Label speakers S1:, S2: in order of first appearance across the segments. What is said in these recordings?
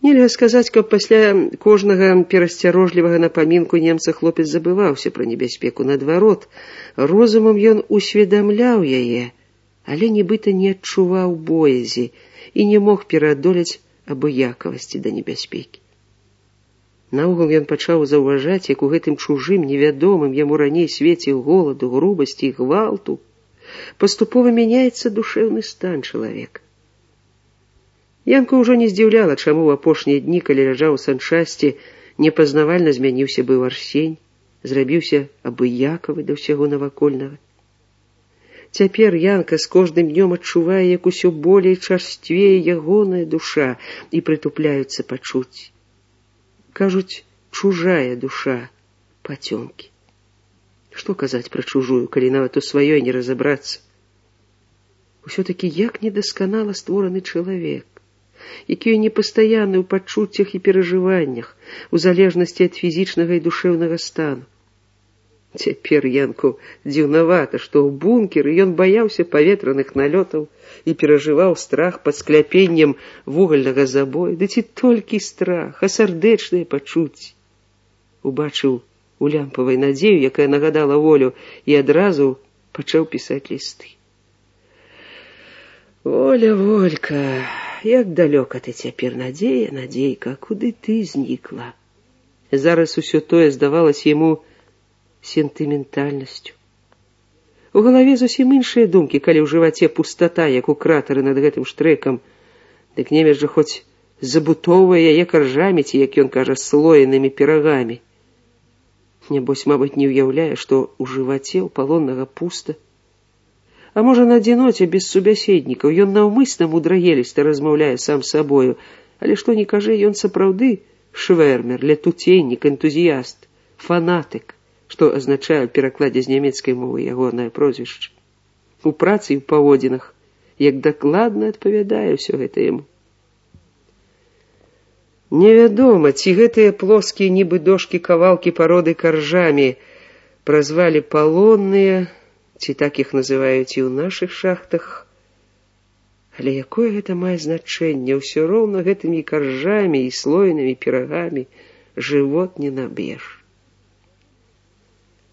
S1: Нельга сказаць, каб пасля кожнага перасцярожлівага напамінку немца хлопец забываўся пра небяспеку. Наадварот, розумам ён усведамляў яе, але нібыта не адчуваў боязі і не мог пераадолець абыякавасці да небяспекі. Наогул ён пачаў заўважаць, як у гэтым чужым, невядомым яму раней свеце голаду, грубасці і гвалту паступова мяняецца душэўны стан чалавека. Янку ўжо не здзіўляла, чаму ў апошнія дні, калі ляжаў у санчасці, непазнавальна змяніўся быў Арсень, зрабіўся абыякавы да ўсяго навакольнага. Цяпер Янка з кожным днём адчувае, як усё болей чарствее ягоная душа і прытупляюцца пачуцці. Кажуць, чужая душа пацёмкі. Што казаць пра чужую, калі нават у сваёй не разабрацца? Усё-такі як недасканала створаны чалавек, які непастаянны ў пачуццях і перажываннях, у залежнасці ад фізічнага і душэўнага стану. Цяпер Янку дзіўнавата, што ў бункеры ён баяўся паветраных налётаў і перажываў страх пад скляпеннем вугальнага забою. Ды ці толькі страх, а сардэчныя пачуцці. Убачыў у лямпавай надзею, якая нагадала волю, і адразу пачаў пісаць лісты. Воля, Волька, як далёка ты цяпер, надзея, надзейка, куды ты знікла? Зараз усё тое здавалася яму сентыментальнасцю. У галаве зусім іншыя думкі, калі ў жываце пустата, як у кратары над гэтым штрэкам. Дык немец жа хоць забутоўвае яе каржамі, ці, як ён кажа, слоенымі пірагамі. Нябось, мабыць, не ўяўляе, што ў жываце ў палоннага пуста. А можа, на адзіноце без субяседнікаў ён наўмысна мудрагеліста размаўляе сам сабою, але што ні кажы, ён сапраўды швэрмер, летуценнік, энтузіяст, фанатык, што азначае ў перакладзе з нямецкай мовы ягонае прозвішча. У працы і ў паводзінах, як дакладна адпавядае ўсё гэта яму. Невядома, ці гэтыя плоскія нібы дошкі кавалкі пароды каржамі празвалі палонныя, ці так іх называюць і ў нашых шахтах. Але якое гэта мае значэнне? Ўсё роўна гэтымі каржамі і слоенымі пірагамі жывот не наб'еш.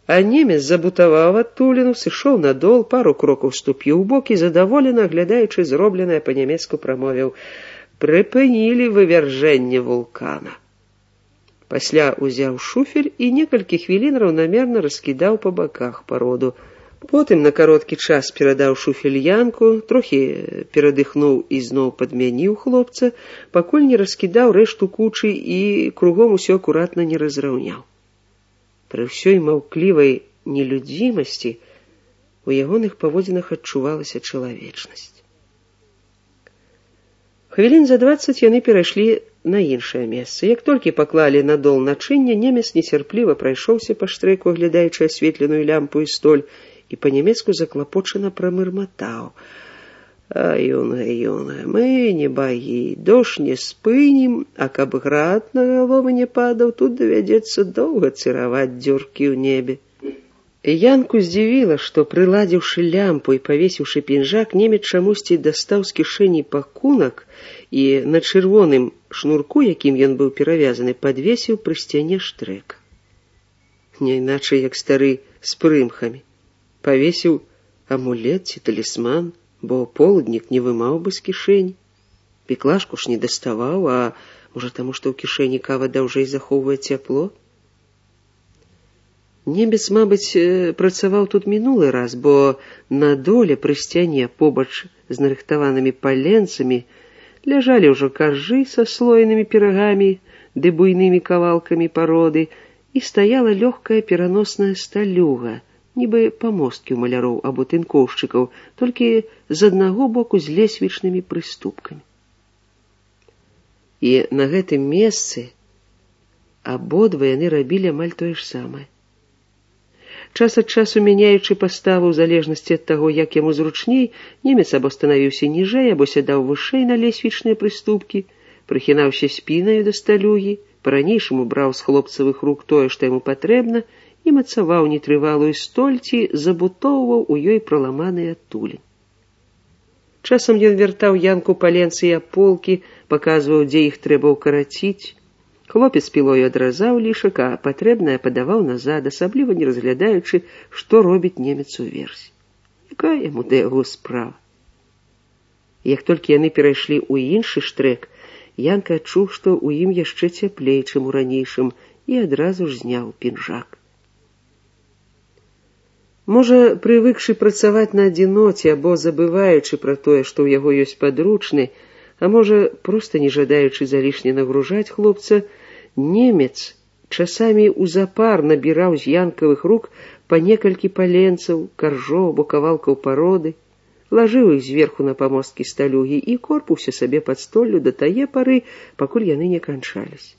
S1: А немец забутаваў адтуліну, сышоў на дол, пару крокаў ступіў у бок і, задаволена, аглядаючы зробленае па-нямецку, прамовіў: «Прыпынілі вывяржэнне вулкана». Пасля узяў шуфель і некалькі хвілін раўнамерна раскідаў па баках пароду. Потым на кароткі час перадаў шуфель Янку, трохі перадыхнуў і зноў падмяніў хлопца, пакуль не раскідаў рэшту кучы і кругом усё акуратна не разраўняў. Пры ўсёй маўклівай нелюдзімасці у ягоных паводзінах адчувалася чалавечнасць. Хвілін за 20 яны перайшлі на іншае месца. Як толькі паклалі на дол начынне, немец нецярпліва прайшоўся па штрэку, аглядаючы асветленую лямпу і столь, і па-нямецку заклапочана прамырматаў: «Юнга, мы не багі, дождь не спынім, а каб град на галовы не падаў, тут давядзецца доўга цыраваць дзюркі ў небе». Янку здзівіла, што, прыладзіўшы лямпу і павесіўшы пінжак, немец чамусьці дастаў з кішэні пакунак і на чырвоным шнурку, якім ён быў перавязаны, падвесіў пры сцяне штрэка. Не іначай, як стары з прымхамі. Павесіў амулет ці талісман, бо полуднік не вымаў бы з кішэні. Піклашку ж не даставаў, а можа таму, што ў кішэні кава даўжэй захоўвае цяпло? Немец, мабыць, працаваў тут мінулы раз, бо на доле пры сцяне побач з нарыхтаванымі паленцамі ляжалі ўжо каржы са слоенымі пірагамі ды буйнымі кавалкамі пароды, і стаяла лёгкая пераносная сталюга, нібы памосткі ў маляроў або тынкоўшчыкаў, толькі з аднаго боку з лесвічнымі прыступкамі. І на гэтым месцы абодва яны рабілі амаль тое ж самае. Час ад часу мяняючы паставу ў залежнасці ад таго, як яму зручней, немец або станавіўся ніжэй, або сядаў вышэй на лесвічныя прыступкі, прыхінаўся спінаю да сталюгі, па-ранейшаму браў з хлопцавых рук тое, што яму патрэбна, і мацаваў нетрывалую столь ці забутоўваў у ёй праламаныя адтуліны. Часам ён вяртаў Янку паленцы і аполкі, паказваў, дзе іх трэба ўкараціць. Хлопец пілою адразаў лішак, а патрэбнае падаваў назад, асабліва не разглядаючы, што робіць немец уверсе. Якая яму да яго справа? Як толькі яны перайшлі ў іншы штрэк, Янка адчуў, што ў ім яшчэ цяплей, чым у ранейшым, і адразу ж зняў пінжак. Можа, прывыкшы працаваць на адзіноце або забываючы пра тое, што ў яго ёсць падручны, а можа, проста не жадаючы залішне нагружаць хлопца, немец часамі ў запар набіраў з янкавых рук па некалькі паленцаў, каржоў або кавалкаў пароды, лажыў іх зверху на памосткі сталюгі і корпаўся сабе пад столлю да тае пары, пакуль яны не канчаліся.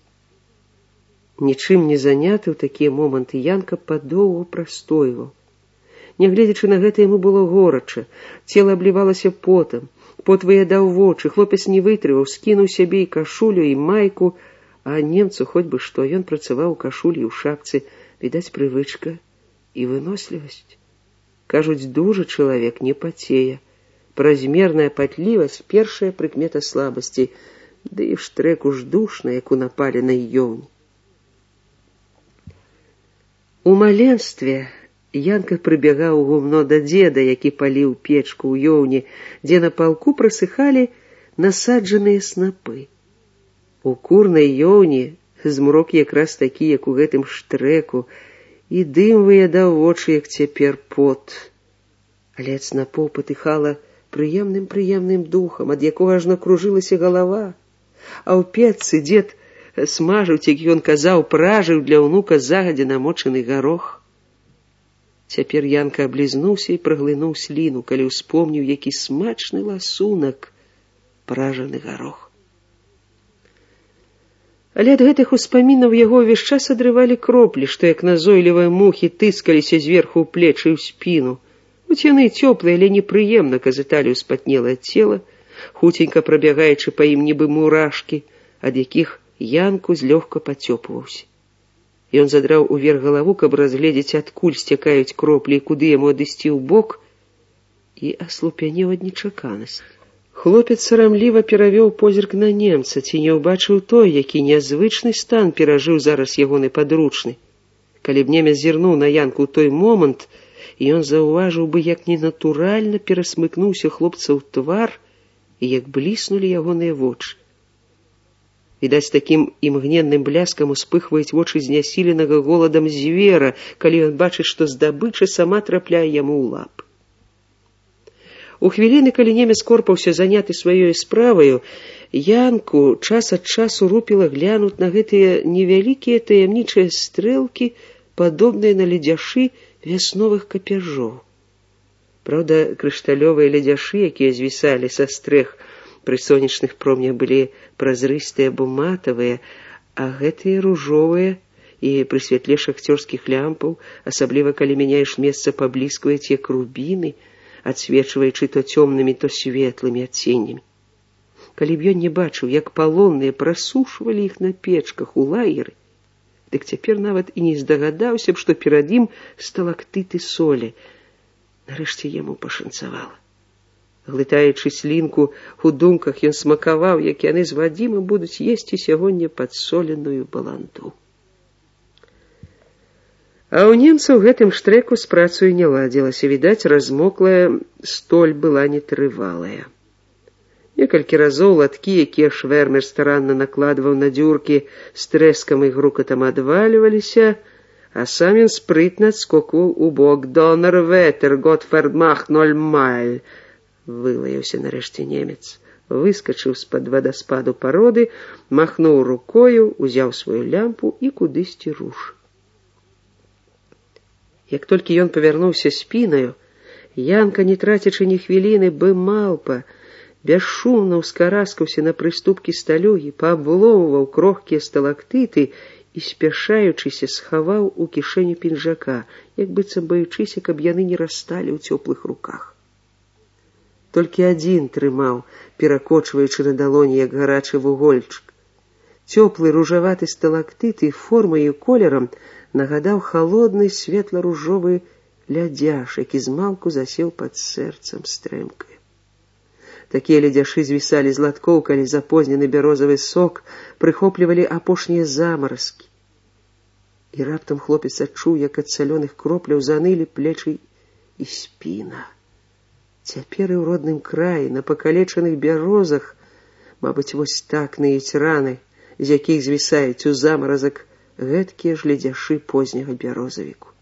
S1: Нічым не заняты ў такія моманты, Янка падоўгу прастойваў. Нягледзячы на гэта, яму было горача, цела аблівалася потам, пот выядаў вочы, хлопец не вытрываў, скінуў сябе і кашулю, і майку, а немцу хоць бы што, ён працаваў у кашулі і ў шапцы, відаць, прывычка і вынослівасць. Кажуць, дужы чалавек не пацее. Празмерная патлівасць — першая прыкмета слабасці, ды і ў штрэку ж душна, як у напаленай ёўні. У маленстве Янка прыбягаў у гумно да дзеда, які паліў печку ў ёўні, дзе на палку прасыхалі насаджаныя снапы. У курнай ёўні змрок якраз такі, як у гэтым штрэку, і дым выядаў вочы, як цяпер пот. Але ад снапоў патыхала прыемным духам, ад якога ажно кружылася галава. А ў печцы дзед смажыў, як ён казаў, пражыў для ўнука загадзя намочаны гарох. Цяпер Янка аблізнуўся і праглынуў сліну, калі ўспомніў, які смачны ласунак пражаны гарох. Але ад гэтых успамінаў яго ўвесь час адрывалі кроплі, што як назойлівыя мухі тыскаліся зверху ў плечы і ў спіну. Хоць яны цёплыя, але непрыемна казыталі ўспатнелае цела, хуценька прабягаючы па ім нібы мурашкі, ад якіх Янку злёгка пацёпваўся. Ён задраў уверх галаву, каб разгледзець, адкуль сцякаюць кроплі і куды яму адысці ў бок, і аслупянеў ад нечаканасці. Хлопец сарамліва перавёў позірк на немца, ці не ўбачыў той, які нязвычны стан перажыў зараз ягоны падручны. Калі б немец зірнуў на Янку ў той момант, ён заўважыў бы, як ненатуральна перасмыкнуўся хлопца ў твар і як бліснулі ягоныя вочы. Відаць, такім імгненным бляскам успыхваюць вочы знясіленага голадам звера, калі ён бачыць, што здабыча сама трапляе яму ў лап. У хвіліны, калі немец корпаўся заняты сваёй справаю, Янку час ад часу рупіла глянуць на гэтыя невялікія таямнічыя стрэлкі, падобныя на ледзяшы вясновых капяжоў. Праўда, крышталёвыя ледзяшы, якія звісалі са стрэх, пры сонечных промнях былі празрыстыя або матавыя, а гэтыя ружовыя і пры святле шахцёрскіх лямпаў, асабліва калі мяняеш месца, пабліскваюць як рубіны, адсвечваючы то цёмнымі, то светлымі адценнямі. Калі б ён не бачыў, як палонныя прасушвалі іх на печках у лагеры, дык цяпер нават і не здагадаўся б, што перад ім сталактыты солі. Нарэшце яму пашанцавала. Глытаючы слінку, у думках ён смакаваў, як яны з Вадзімам будуць есці сягоння падсоленую баланду. А ў немцаў гэтым штрэку з працаю не ладзілася. Відаць, размоклая столь была нетрывалая. Некалькі разоў латкі, якія швэрмер старанна накладваў на дзюркі, з трэскам і грукатам адвальваліся, а сам ён спрытна адскокваў у бок. «Донер ветер, Готферд мах 0 майль», вылаяўся нарэшце немец, выскачыў з-пад вадаспаду пароды, махнуў рукою, узяў сваю лямпу і кудысьці руш. Як толькі ён павярнуўся спінаю, Янка, не трацячы ні хвіліны, бы малпа, бясшумна ўскараскаўся на прыступкі сталюгі, паабломваў крохкія сталактыты і, спяшаючыся, схаваў у кішэню пінжака, як быццам баючыся, каб яны не расталі ў цёплых руках. Толькі адзін трымаў, перакочваючы на далоні, як гарачы вугольчык. Цёплы ружаваты сталактыт і формай і колерам нагадаў халодны светла-ружовы лядзяш, які змалку засеў пад сэрцам стрэмкаю. Такія ледзяшы звісалі з латкоў, калі запознены бярозавы сок прыхоплівалі апошнія замаразкі. І раптам хлопец адчуў, як ад салёных кропляў занылі плечы і спіна. Цяпер і ў родным краі, на пакалечаных бярозах, мабыць, вось так ныюць раны, з якіх звісаюць у замаразак гэткія ж ледзяшы позняга бярозавіку.